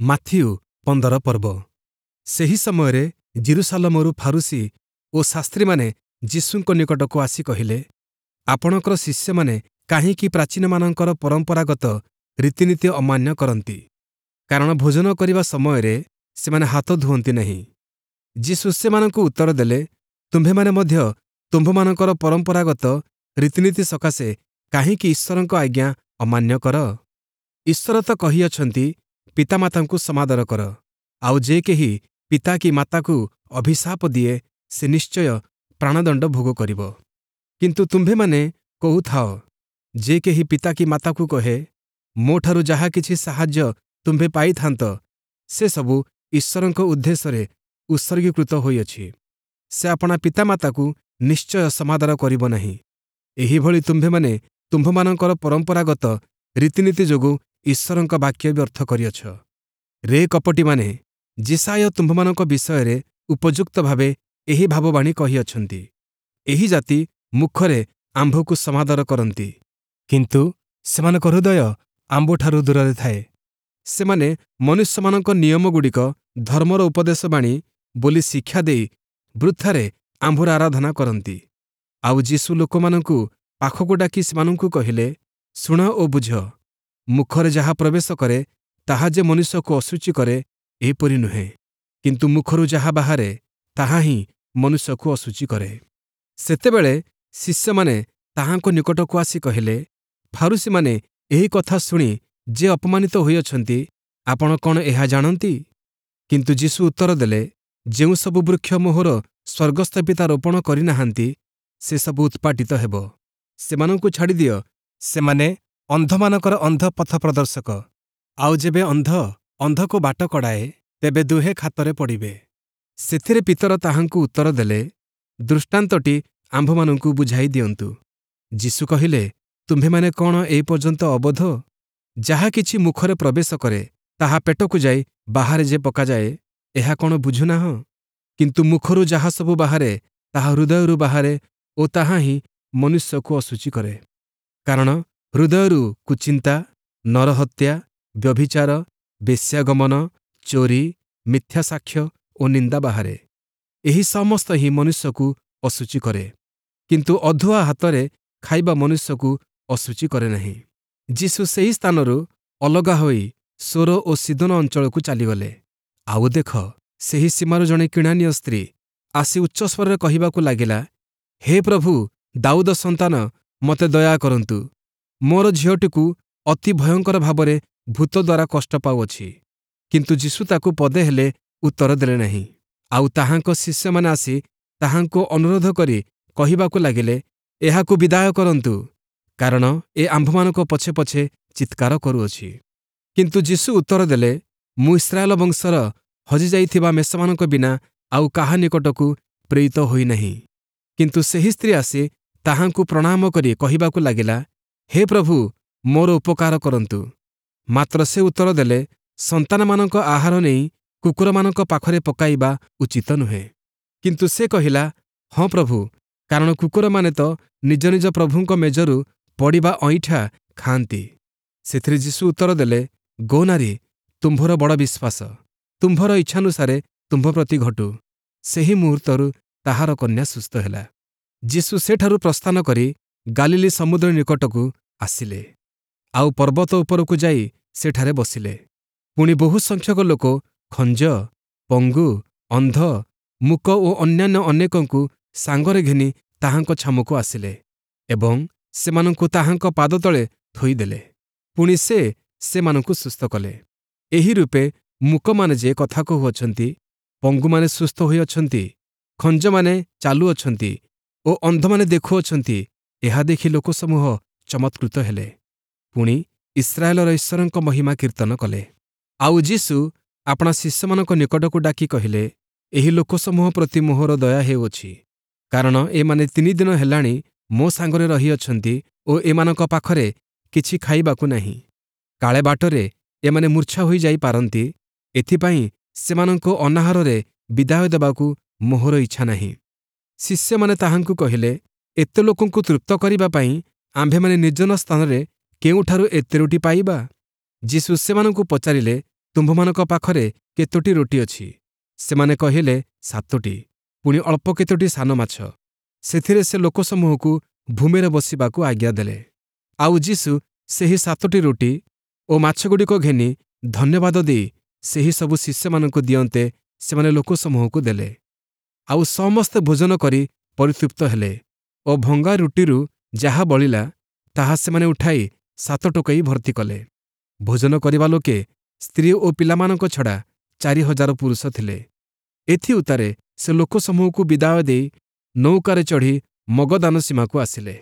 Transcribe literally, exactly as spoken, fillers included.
Matthew ପନ୍ଦର ପର୍ବ। ସେହି ସମୟରେ ଯିରୂଶାଲମରୁ ଫାରୂଶୀ ଓ ଶାସ୍ତ୍ରୀମାନେ ଯୀଶୁଙ୍କ ନିକଟକୁ ଆସି କହିଲେ, ଆପଣଙ୍କର ଶିଷ୍ୟମାନେ କାହିଁକି ପ୍ରାଚୀନମାନଙ୍କର ପରମ୍ପରାଗତ ରୀତିନୀତି ଅମାନ୍ୟ କରନ୍ତି? କାରଣ ଭୋଜନ କରିବା ସମୟରେ ସେମାନେ ହାତ ଧୁଅନ୍ତି ନାହିଁ। ଯୀଶୁ ସେମାନଙ୍କୁ ଉତ୍ତର ଦେଲେ, ତୁମ୍ଭେମାନେ ମଧ୍ୟ ତୁମ୍ଭମାନଙ୍କର ପରମ୍ପରାଗତ ରୀତିନୀତି ସକାଶେ କାହିଁକି ଈଶ୍ୱରଙ୍କ ଆଜ୍ଞା ଅମାନ୍ୟ କର? ଈଶ୍ୱର ତ କହିଅଛନ୍ତି, ପିତାମାତାଙ୍କୁ ସମାଦର କର, ଆଉ ଯେ କେହି ପିତା କି ମାତାକୁ ଅଭିଶାପ ଦିଏ, ସେ ନିଶ୍ଚୟ ପ୍ରାଣଦଣ୍ଡ ଭୋଗ କରିବ। କିନ୍ତୁ ତୁମ୍ଭେମାନେ କହୁଥାଅ, ଯେ କେହି ପିତା କି ମାତାକୁ କହେ, ମୋଠାରୁ ଯାହା କିଛି ସାହାଯ୍ୟ ତୁମ୍ଭେ ପାଇଥାନ୍ତ, ସେ ସବୁ ଈଶ୍ୱରଙ୍କ ଉଦ୍ଦେଶ୍ୟରେ ଉତ୍ସର୍ଗୀକୃତ ହୋଇଅଛି, ସେ ଆପଣା ପିତାମାତାକୁ ନିଶ୍ଚୟ ସମାଦର କରିବ ନାହିଁ। ଏହିଭଳି ତୁମ୍ଭେମାନେ ତୁମ୍ଭମାନଙ୍କର ପରମ୍ପରାଗତ ରୀତିନୀତି ଯୋଗୁଁ ଈଶ୍ୱରଙ୍କ ବାକ୍ୟ ବ୍ୟର୍ଥ କରିଅଛ। ରେ କପଟୀମାନେ, ଯିଶାଇୟ ତୁମ୍ଭମାନଙ୍କ ବିଷୟରେ ଉପଯୁକ୍ତ ଭାବେ ଏହି ଭାବବାଣୀ କହିଅଛନ୍ତି, ଏହି ଜାତି ମୁଖରେ ଆମ୍ଭକୁ ସମାଦର କରନ୍ତି, କିନ୍ତୁ ସେମାନଙ୍କ ହୃଦୟ ଆମ୍ଭଠାରୁ ଦୂରରେ ଥାଏ। ସେମାନେ ମନୁଷ୍ୟମାନଙ୍କ ନିୟମଗୁଡ଼ିକ ଧର୍ମର ଉପଦେଶବାଣୀ ବୋଲି ଶିକ୍ଷା ଦେଇ ବୃଥାରେ ଆମ୍ଭର ଆରାଧନା କରନ୍ତି। ଆଉ ଯୀଶୁ ଲୋକମାନଙ୍କୁ ପାଖକୁ ଡାକି ସେମାନଙ୍କୁ କହିଲେ, ଶୁଣ ଓ ବୁଝ, ମୁଖରେ ଯାହା ପ୍ରବେଶ କରେ, ତାହା ଯେ ମନୁଷ୍ୟକୁ ଅଶୁଚି କରେ, ଏପରି ନୁହେଁ, କିନ୍ତୁ ମୁଖରୁ ଯାହା ବାହାରେ, ତାହା ହିଁ ମନୁଷ୍ୟକୁ ଅଶୁଚି କରେ। ସେତେବେଳେ ଶିଷ୍ୟମାନେ ତାହାଙ୍କ ନିକଟକୁ ଆସି କହିଲେ, ଫାରୂଶୀମାନେ ଏହି କଥା ଶୁଣି ଯେ ଅପମାନିତ ହୋଇଅଛନ୍ତି, ଆପଣ କ'ଣ ଏହା ଜାଣନ୍ତି? କିନ୍ତୁ ଯୀଶୁ ଉତ୍ତର ଦେଲେ, ଯେଉଁ ସବୁ ବୃକ୍ଷ ମୋହର ସ୍ୱର୍ଗସ୍ଥ ପିତା ରୋପଣ କରିନାହାନ୍ତି, ସେସବୁ ଉତ୍ପାଟିତ ହେବ। ସେମାନଙ୍କୁ ଛାଡ଼ିଦିଅ, ସେମାନେ ଅନ୍ଧମାନଙ୍କର ଅନ୍ଧ ପଥ ପ୍ରଦର୍ଶକ। ଆଉ ଯେବେ ଅନ୍ଧ ଅନ୍ଧକୁ ବାଟ କଢ଼ାଏ, ତେବେ ଦୁହେଁ ଖାତରେ ପଡ଼ିବେ। ସେଥିରେ ପିତର ତାହାଙ୍କୁ ଉତ୍ତର ଦେଲେ, ଦୃଷ୍ଟାନ୍ତଟି ଆମ୍ଭମାନଙ୍କୁ ବୁଝାଇ ଦିଅନ୍ତୁ। ଯୀଶୁ କହିଲେ, ତୁମ୍ଭେମାନେ କ'ଣ ଏ ପର୍ଯ୍ୟନ୍ତ ଅବୋଧ? ଯାହା କିଛି ମୁଖରେ ପ୍ରବେଶ କରେ, ତାହା ପେଟକୁ ଯାଇ ବାହାରେ ଯେ ପକାଯାଏ, ଏହା କ'ଣ ବୁଝୁନାହଁ? କିନ୍ତୁ ମୁଖରୁ ଯାହା ସବୁ ବାହାରେ, ତାହା ହୃଦୟରୁ ବାହାରେ ଓ ତାହା ହିଁ ମନୁଷ୍ୟକୁ ଅଶୁଚି କରେ। କାରଣ ହୃଦୟରୁ କୁଚିନ୍ତା, ନରହତ୍ୟା, ବ୍ୟଭିଚାର, ବେଶ୍ୟାଗମନ, ଚୋରି, ମିଥ୍ୟା ସାକ୍ଷ୍ୟ ଓ ନିନ୍ଦା ବାହାରେ। ଏହି ସମସ୍ତ ହିଁ ମନୁଷ୍ୟକୁ ଅଶୁଚି କରେ। କିନ୍ତୁ ଅଧୁଆ ହାତରେ ଖାଇବା ମନୁଷ୍ୟକୁ ଅଶୁଚି କରେ ନାହିଁ। ଯୀଶୁ ସେହି ସ୍ଥାନରୁ ଅଲଗା ହୋଇ ସୋର ଓ ସୀଦୋନ ଅଞ୍ଚଳକୁ ଚାଲିଗଲେ। ଆଉ ଦେଖ, ସେହି ସୀମାରୁ ଜଣେ କିଣାନୀୟ ସ୍ତ୍ରୀ ଆସି ଉଚ୍ଚସ୍ୱରରେ କହିବାକୁ ଲାଗିଲା, ହେ ପ୍ରଭୁ, ଦାଉଦ ସନ୍ତାନ, ମୋତେ ଦୟା କରନ୍ତୁ। ମୋର ଝିଅଟିକୁ ଅତି ଭୟଙ୍କର ଭାବରେ ଭୂତ ଦ୍ୱାରା କଷ୍ଟ ପାଉଅଛି। କିନ୍ତୁ ଯୀଶୁ ତାକୁ ପଦେ ହେଲେ ଉତ୍ତର ଦେଲେ ନାହିଁ। ଆଉ ତାହାଙ୍କ ଶିଷ୍ୟମାନେ ଆସି ତାହାଙ୍କୁ ଅନୁରୋଧ କରି କହିବାକୁ ଲାଗିଲେ, ଏହାକୁ ବିଦାୟ କରନ୍ତୁ, କାରଣ ଏ ଆମ୍ଭମାନଙ୍କ ପଛେ ପଛେ ଚିତ୍କାର କରୁଅଛି। କିନ୍ତୁ ଯୀଶୁ ଉତ୍ତର ଦେଲେ, ମୁଁ ଇସ୍ରାଏଲ ବଂଶର ହଜିଯାଇଥିବା ମେଷମାନଙ୍କ ବିନା ଆଉ କାହା ନିକଟକୁ ପ୍ରେରିତ ହୋଇନାହିଁ। କିନ୍ତୁ ସେହି ସ୍ତ୍ରୀ ଆସି ତାହାଙ୍କୁ ପ୍ରଣାମ କରି କହିବାକୁ ଲାଗିଲା, ହେ ପ୍ରଭୁ, ମୋର ଉପକାର କରନ୍ତୁ। ମାତ୍ର ସେ ଉତ୍ତର ଦେଲେ, ସନ୍ତାନମାନଙ୍କ ଆହାର ନେଇ କୁକୁରମାନଙ୍କ ପାଖରେ ପକାଇବା ଉଚିତ ନୁହେଁ। କିନ୍ତୁ ସେ କହିଲା, ହଁ ପ୍ରଭୁ, କାରଣ କୁକୁରମାନେ ତ ନିଜ ନିଜ ପ୍ରଭୁଙ୍କ ମେଜରୁ ପଡ଼ିବା ଅଇଁଠା ଖାଆନ୍ତି। ସେଥିରେ ଯୀଶୁ ଉତ୍ତର ଦେଲେ, ଗୋ ନାରୀ, ତୁମ୍ଭର ବଡ଼ ବିଶ୍ୱାସ, ତୁମ୍ଭର ଇଚ୍ଛାନୁସାରେ ତୁମ୍ଭ ପ୍ରତି ଘଟୁ। ସେହି ମୁହୂର୍ତ୍ତରୁ ତାହାର କନ୍ୟା ସୁସ୍ଥ ହେଲା। ଯୀଶୁ ସେଠାରୁ ପ୍ରସ୍ଥାନ କରି ଗାଲିଲୀ ସମୁଦ୍ର ନିକଟକୁ ଆସିଲେ, ଆଉ ପର୍ବତ ଉପରକୁ ଯାଇ ସେଠାରେ ବସିଲେ। ପୁଣି ବହୁ ସଂଖ୍ୟକ ଲୋକ ଖଞ୍ଜ, ପଙ୍ଗୁ, ଅନ୍ଧ, ମୂକ ଓ ଅନ୍ୟାନ୍ୟ ଅନେକଙ୍କୁ ସାଙ୍ଗରେ ଘେନି ତାହାଙ୍କ ଛାମୁକୁ ଆସିଲେ ଏବଂ ସେମାନଙ୍କୁ ତାହାଙ୍କ ପାଦତଳେ ଥୋଇଦେଲେ। ପୁଣି ସେ ସେମାନଙ୍କୁ ସୁସ୍ଥ କଲେ। ଏହି ରୂପେ ମୂକମାନେ ଯେ କଥା କହୁଅଛନ୍ତି, ପଙ୍ଗୁମାନେ ସୁସ୍ଥ ହୋଇଅଛନ୍ତି, ଖଞ୍ଜମାନେ ଚାଲୁଅଛନ୍ତି ଓ ଅନ୍ଧମାନେ ଦେଖୁଅଛନ୍ତି, ଏହା ଦେଖି ଲୋକସମୂହ ଚମତ୍କୃତ ହେଲେ। ପୁଣି ଇସ୍ରାଏଲର ଈଶ୍ୱରଙ୍କ ମହିମା କୀର୍ତ୍ତନ କଲେ। ଆଉ ଯୀଶୁ ଆପଣା ଶିଷ୍ୟମାନଙ୍କ ନିକଟକୁ ଡାକି କହିଲେ, ଏହି ଲୋକସମୂହ ପ୍ରତି ମୋହର ଦୟା ହେଉଅଛି, କାରଣ ଏମାନେ ତିନି ଦିନ ହେଲାଣି ମୋ ସାଙ୍ଗରେ ରହିଅଛନ୍ତି ଓ ଏମାନଙ୍କ ପାଖରେ କିଛି ଖାଇବାକୁ ନାହିଁ। କାଳେ ବାଟରେ ଏମାନେ ମୂର୍ଚ୍ଛା ହୋଇଯାଇପାରନ୍ତି, ଏଥିପାଇଁ ସେମାନଙ୍କୁ ଅନାହାରରେ ବିଦାୟ ଦେବାକୁ ମୋହର ଇଚ୍ଛା ନାହିଁ। ଶିଷ୍ୟମାନେ ତାହାଙ୍କୁ କହିଲେ, ଏତେ ଲୋକଙ୍କୁ ତୃପ୍ତ କରିବା ପାଇଁ ଆମ୍ଭେମାନେ ନିର୍ଜନ ସ୍ଥାନରେ କେଉଁଠାରୁ ଏତେ ରୁଟି ପାଇବା? ଯୀଶୁ ସେମାନଙ୍କୁ ପଚାରିଲେ, ତୁମ୍ଭମାନଙ୍କ ପାଖରେ କେତୋଟି ରୋଟି ଅଛି? ସେମାନେ କହିଲେ, ସାତୋଟି, ପୁଣି ଅଳ୍ପ କେତୋଟି ସାନ ମାଛ। ସେଥିରେ ସେ ଲୋକସମୂହକୁ ଭୂମିରେ ବସିବାକୁ ଆଜ୍ଞା ଦେଲେ। ଆଉ ଯୀଶୁ ସେହି ସାତୋଟି ରୋଟି ଓ ମାଛଗୁଡ଼ିକ ଘେନି ଧନ୍ୟବାଦ ଦେଇ ସେହି ସବୁ ଶିଷ୍ୟମାନଙ୍କୁ ଦିଅନ୍ତେ ସେମାନେ ଲୋକସମୂହକୁ ଦେଲେ। ଆଉ ସମସ୍ତେ ଭୋଜନ କରି ପରିତୃପ୍ତ ହେଲେ ଓ ଭଙ୍ଗା ରୁଟିରୁ ଯାହା ବଳିଲା, ତାହା ସେମାନେ ଉଠାଇ ସାତ ଟୋକେଇ ଭର୍ତ୍ତି କଲେ। ଭୋଜନ କରିବା ଲୋକେ ସ୍ତ୍ରୀ ଓ ପିଲାମାନଙ୍କ ଛଡ଼ା ଚାରି ହଜାର ପୁରୁଷ ଥିଲେ। ଏଥିଉତ୍ତାରେ ସେ ଲୋକସମୂହକୁ ବିଦାୟ ଦେଇ ନୌକାରେ ଚଢ଼ି ମଗଦାନ ସୀମାକୁ ଆସିଲେ।